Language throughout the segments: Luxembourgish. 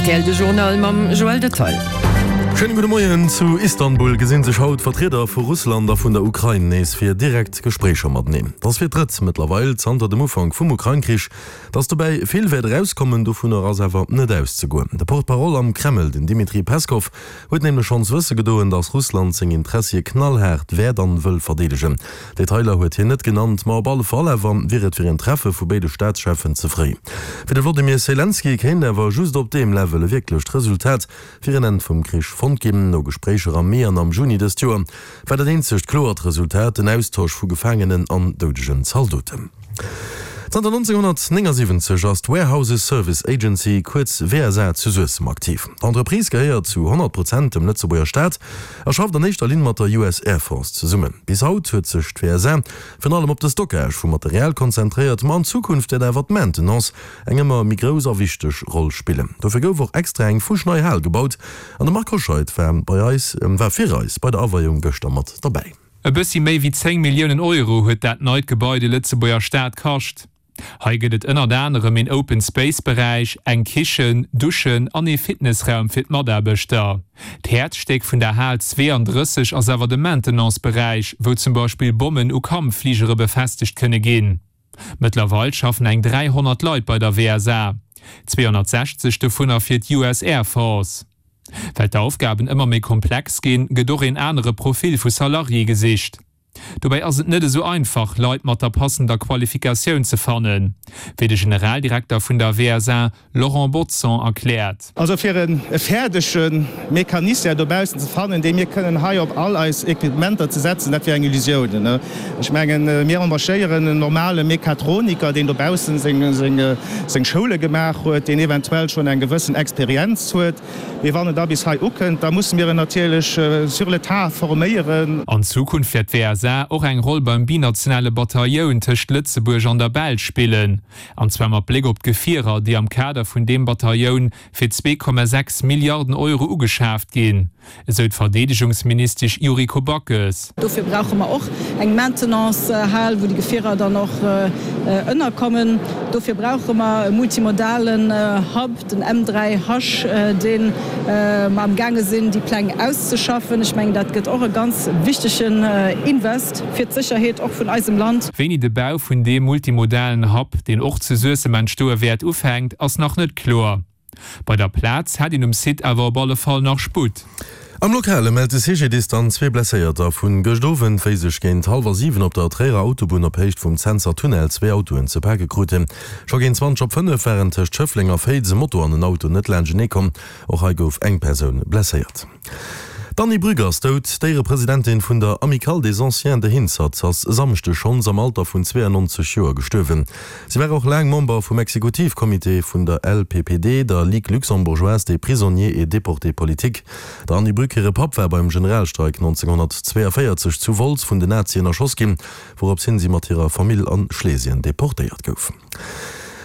Rtl de Journal mam Joël Detaille. Schéine gudde Moien. Zu Istanbul gesinn sech haut d'Vertrieder vu Russland a vun der Ukrain nees fir direkt Gespréicher mateneen. Et ass fir d'drëtt mëttlerweil zanter dem Ufank vum Ukrain-Krich, datt dobäi vill wäert erauskommen. Dovunner ass awer net auszegoen. De Porte-parole am Kreml, den Dmitri Peskow, huet nämlech schonns wësse gedoen, datt Russland seng Interessie knallhaart wäert an wëll verdeedegen. Detailer huet hien net genannt, ma op alle Fall awer wier et fir een Treffe vu béide Staatscheffen ze fréi. Fir de Wlodimir Selenskyj kéint awer just op deem Level e wierklecht Resultat fir en Enn vum Krich fonnt ginn. No Gespréicher am Mee an am Juni dëst Joer war dat eenzegt kloert Resultat den Austosch vu Gefaangenen an doudegen Zaldoten. Zanter 1979 ass d'Warehouses Service Agency, kuerz WSA, zu Suessem aktiv. D'Entreprise gehéiert zu 100 Prozent dem Lëtzebuerger Staat a schafft an éischter Linn mat der US Air Force zesummen. Bis haut huet sech d'WSA virun allem op de Stockage vu Material konzentréiert, ma an Zukunft wäert awer d'Maintenance eng ëmmer méi grouss a wichteg Roll spillen. Dofir gouf och extra eng fuschnei Hal gebaut an de Marc Hoscheid war bei eis war fir eis bei der Aweiung gëschter mat derbäi. E bëssi méi wéi 10 Milliounen Euro huet dat neit Gebai de Lëtzebuerger Staat kascht. Hei gëtt et ënnert anerem een Open Space Beräich, eng Kichen, Duschen an ee Fitnessraum fir d'Mataarbechter. D'Häerzstéck vun der Hal 32 ass awer de Maintenance-Beräich, wou zum Beispill Bommen u Kampffligere befestegt kënne ginn. Mëttlerweil schaffen eng 300 Leit bei der WSA, 260 dovunner fir d'US Air Force. Well d'Aufgaben ëmmer méi komplex ginn, gëtt och een anere Profil vu Salarié gesicht. Dobäi ass et net esou einfach, Leit mat der passender Qualifikatioun ze fannen, wéi de Generaldirekter vun der WSA, Laurent Bodson, erkläert. Also fir e fäerdege Mecanicien dobaussen ze fannen, dee mir kënnen hei op all eis Equipementer ze setzen, dat wier eng Illusioun. Ech mengen, mir embauchéieren en normale Mechatroniker, deen dobaussen seng Schoule gemaach huet, deen eventuell schonn eng gewëssen Experienz huet. Mee wann en da bis hei ukënnt, da musse mir en natierlech sur le tas forméieren. An Zukunft wäert d'WSA och eng Roll beim binationale Batailloun tëscht Lëtzebuerg an der Belsch spillen. An zwar mat Bléck op d'Gefierer, déi am Kader vun deem Batailloun fir 2,6 Milliarden Euro ugeschaaft ginn, esou d'Verdeedegungsministesch Yuriko Backes. Dofir brauche mer och eng Maintenance-Hal, wou déi Gefierer dann och ënnerkommen. Dofir brauche mer e multimodalen Hub, den M3H, dee mer am gaange sinn, déi Pläng auszeschaffen. Ech mengen, dat gëtt och e ganz wichtegen Invest fir d'Sécherheet och vun eisem Land. Wéini de Bau vun deem multimodalen Hub, deen och zu Suessem entstoe wäert, ufänkt, ass nach net kloer. Bei der Plaz hätt een um Site awer op alle Fall nach Sputt. Am Lokale mellt de CGDIS dann zwee Blesséierter vun gëscht Owend, wéi sech géint hallwer 7 op der Tréierer Autobunn op Héicht vum Centser Tunnel zwee Autoen ze pake kruten. Scho géint 20 op 5 waren tëscht Schëffleng a Féiz e Moto an en Auto net laanschtenee komm. Och hei gouf eng Persoun blesséiert. D'Anny Brück ass dout. D'Éierepresidentin vun der Amicale des Anciens de Hinzert ass e Samschdeg schonns am Alter vun 92 Joer gestuerwen. Si war och laang Member vum Exekutivcomité vun der LPPD, der Ligue luxembourgeoise des prisonniers et déportés politiques. Der Anny Brück hire Papp war beim Generalstreik 1942 zu Wolz vun den Nazien erschoss ginn, wourops hin si mat hirer Famill an Schlesien deportéiert gouf.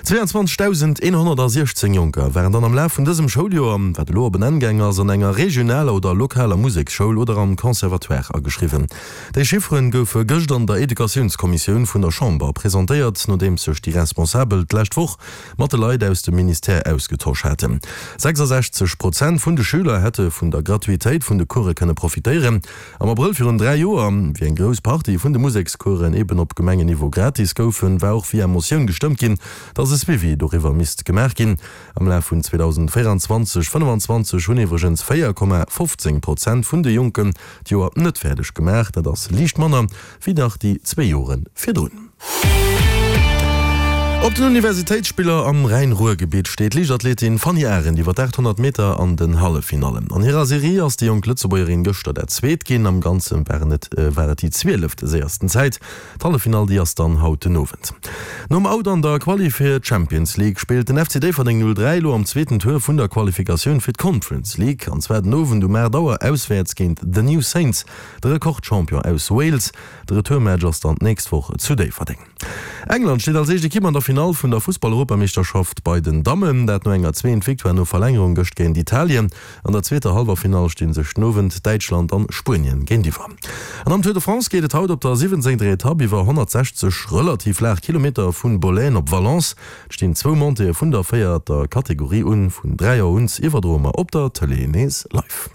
22.116 Jonker waren dann am Laf vun dësem Schouljoer, wat elo op en Enn gaang ass, an enger regionaler oder lokaler Museksschoul oder am Conservatoire ageschriwwen. Déi Chifferen goufe gëscht an der Educatiounskommissioun vun der Chamber presentéiert, nodeems sech déi Responsabel d'lescht Woch mat de Leit aus dem Ministère ausgetosch haten. 66 Prozent vun de Schüler hätte vun der Gratuitéit vun de Course kënne profitéieren. Am Abrëll virun 3 Joer, wéi eng grouss Partie vun de Musekscoursen eben op Gemengenniveau gratis goufen, war och via Motioun gestëmmt ginn, dass e Suivi doriwwer misst gemaach ginn. Am Laf vun 2024, 25 hunn iwwregens 4,15 Prozent vun de Jonken d'Joer net fäerdeg gemaach. Dat ass liicht manner wéi nach déi zwee Jore virdrun. Op den Universitéitsspiller am Rhäin-Ruhr-Gebitt steet d'Liichtathletin Fanny Arendt iwwer d'800 Meter an den Halleffinallen. An hirer Serie ass déi jonk Lëtzebuergerin gëschter dat Zweet ginn. Am Ganze waren et war et déi zwieleft séiersten Zäit. D'Halleffinall déi ass dann haut den Owend. Nom Out an der Quali fir d'Champions League spillt den FC Déifferdeng 03 elo am zweeten Tour vun der Qualifikatioun fir d'Conference League an zwar den Owend um 8 Auer auswäerts géint The New Saints, de Rekordchampion aus Wales. De Retourmatch ass dann d'nächst Woch zu Déifferdeng. England steet als éischt Ekipp an der Finall. Finall vun der Fussball-Europameeschterschaft bei den Dammen, dat no enger zweent Victoire no Verlängerung gëscht géint Italien. An der zweeter Hallwerfinall sti sech den Owend Däitschland an Spuenien géintiwwer. An am Tour de France geet et haut op der 17. Etapp iwwer 160 relativ laach Kilometer vun Bollène op Valence. Et stinn zwou Montéeë vun der véierter Kategorie un. Vun 3 Auer un iwwerdroe mer op der Tëlee nees live.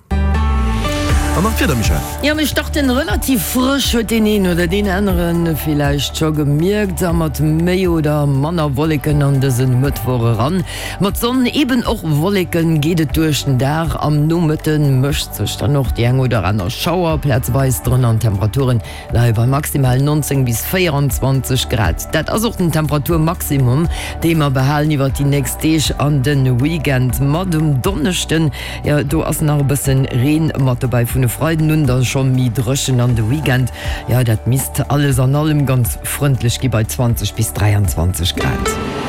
An nach d'Wieder, Michèle? Jo, mir starten relativ frësch, huet deen een oder deen anere villäicht scho gemierkt, a mat méi oder manner Wolleken an dëse Mëttwoch eran. Mat Sonn, eben och Wolleken, geet et duerch den Dag. Am Nomëtte mëscht sech dann och déi eng oder aner Schauer plazeweis drënner an d'Temperaturen leie bei maximal 19 bis 24 Grad. Dat ass och den Temperaturmaximum, dee mer behalen iwwert déi nächst Deeg an de Weekend. Mat um Donneschden, jo do ass nach e bëssen Reen mat dobäi, vun e Freiden un da scho méi dréchen an de Weekend, jo dat misst alles an allem ganz frëndlech gi bei 20 bis 23 Grad.